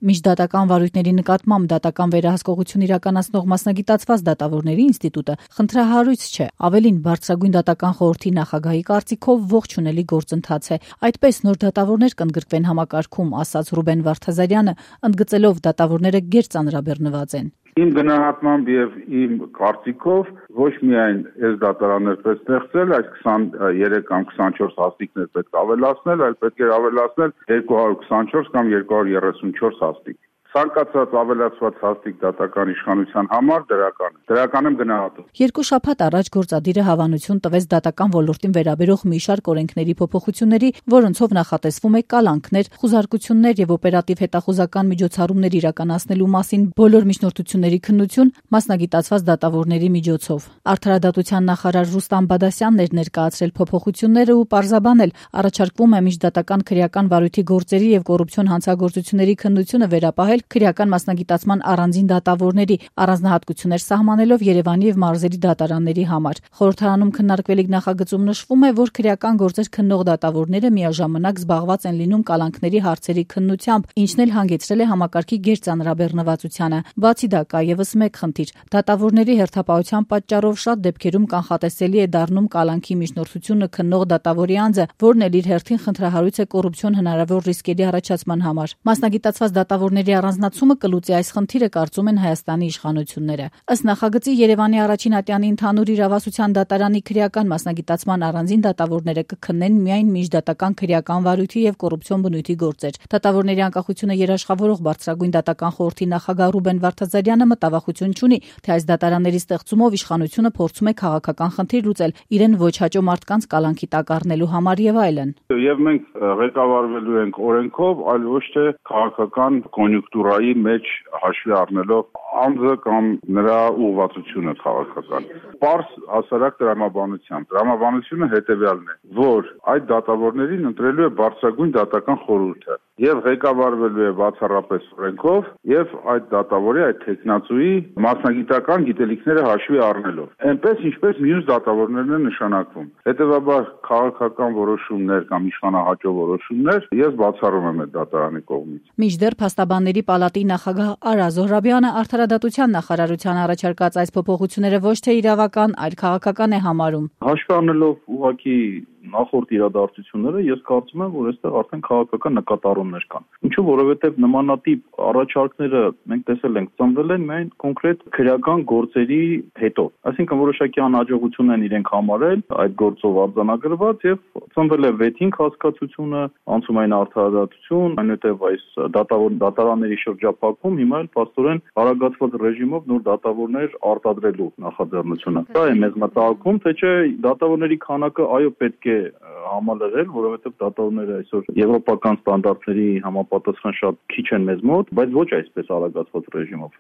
Միջդատական վարույթների նկատմամբ դատական վերահսկողություն իրականացնող մասնագիտացված դատավորների ինստիտուտը խնդրահարույց չէ, ավելին բարձրագույն դատական խորհրդի նախագահի կարծիքով ողջունելի գործընթաց է, այդպես նոր դատավորներ կընդգրկվեն համակարգում, ասաց Ռուբեն Վարդազարյանը, ընդգծելով դատավորները գերծանրաբեռնված են։ Իմ գնահատմամբ եւ իմ կարծիքով ոչ միայն այս դատարաններ պետք է ստեղծել, այս 23 կամ 24 հաստիկներ պետք է ավելացնել, այլ պետք է ավելացնել 224 կամ 234 հաստիկ։ Ցանկացած ավելացված հաստիկ դատական իշխանության համար դրական եմ գնահատում։ Երկու շաբաթ առաջ գործադիրը հավանություն տվեց դատական ոլորտին վերաբերող մի շարք օրենքների փոփոխությունների, որոնցով նախատեսվում է կալանքներ, խուզարկություններ եւ օպերատիվ հետախուզական միջոցառումներ իրականացնելու մասին բոլոր միջնորդությունների քննություն մասնագիտացված դատավորների միջոցով։ Արդարադատության նախարար Ռուստամ Բադասյանն էր ներկայացրել փոփոխությունները ու պարզաբանել, առաջարկվում է միջդատական քրեական վարույթի գործերի եւ կոռուպցիոն հանցագործությունների քննությունը վերապահել քրեական մասնագիտացման առանձին դատավորների, առանձնահատկություններ սահմանելով Երևանի եւ մարզերի դատարանների համար։ Խորհրդարանում քննարկվելիք նախագծում նշվում է, որ քրեական գործեր քննող դատավորները միաժամանակ զբաղված են լինում կալանքների հարցերի քննությամբ, ինչն էլ հանգեցրել է համակարգի գերծանրաբեռնվածությանը։ Բացի դա կա եւս մեկ խնդիր. դատավորների հերթապահության պատճառով շատ դեպքերում կանխատեսելի է դառնում կալանքի միջնորդությունը քննող դատավորի անձը, որն էլ իր հերթին խնդրահարույց է կոռուպցիոն հնարավոր ռիսկերի առաջացման համար։ Մասնագիտացված դատավորների առանձնացումը կլուծի այս խնդիրը, կարծում են Հայաստանի իշխանությունները։ Ըստ նախագծի Երևանի առաջին ատյանի ընդհանուր իրավասության դատարանի քրեական մասնագիտացման առանձին դատավորները կքննեն միայն միջդատական քրեական վարույթի եւ կոռուպցիոն բնույթի գործեր։ Դատավորների անկախությունը երաշխավորող բարձրագույն դատական խորհրդի նախագահ Ռուբեն Վարդազարյանը մտավախություն չունի, թե այս դատարանների ստեղծումով իշխանությունը փորձում է քաղաքական խնդիր լուծել, իրեն ոչ հաճո մարդկանց կալանքի տակ առնելու համար եւ այլն։ Եվ մենք ղեկավարվելու ենք օրենքով, այլ ոչ թե քաղաքական կոնյունկտուրայի մեջ հաշվի առնելով անձը կամ նրա ուղղվածությունը քաղաքական։ Պարզ հասարակ տրամաբանությունը հետեւյալն է, որ այդ դատավորներին ընտրելու է բարձրագույն դատական խորհուրդը եւ ղեկավարվելու է բացառապես օրենքով եւ այդ դատավորի, այդ տեխնացուի մասնագիտական գիտելիքները հաշվի առնելով, այնպես ինչպես մյուս դատավորներն են նշանակվում։ Հետևաբար քաղաքական որոշումներ կամ իշխանահաճո որոշումներ ես բացառում եմ այդ դատարանի կողմից։ Մինչդեռ Փաստաբանների պալատի նախագահ Արա Զոհրաբյանը Արդարադատության նախարարության առաջարկած այս փոփոխությունները ոչ թե իրավական, այլ քաղաքական է համարում։ Հաշվի առնելով ուղղակի նախորդ իրադարձությունները, ես կարծում եմ, որ այստեղ արդեն քաղաքական նկատառումներ կան։ Ինչու՞, որովհետև նմանատիպ առաջարկները մենք տեսել ենք ծնվել են միայն կոնկրետ քրեական գործերի հետո։ Այսինքն որոշակի անհաջողություն են իրենք համարել այդ գործով արձանագրված եւ ծնվել է վեթինգ հասկացությունը, անցումային արդարադատություն, այնուհետև այս դատարանների շրջափակում, հիմա էլ փաստորեն հարագացված ռեժիմով նոր դատավորներ արտադրելու նախաձեռնությունը։ Դա է մեզ մտահոգում, թե չէ դատավորների քանակը այո պետք է համալրել, որովհետև դատավորները այսօր եվրոպական ստանդարտների համապատասխան շատ քիչ են մեզ մոտ, բայց ոչ այսպես արագացված ռեժիմով։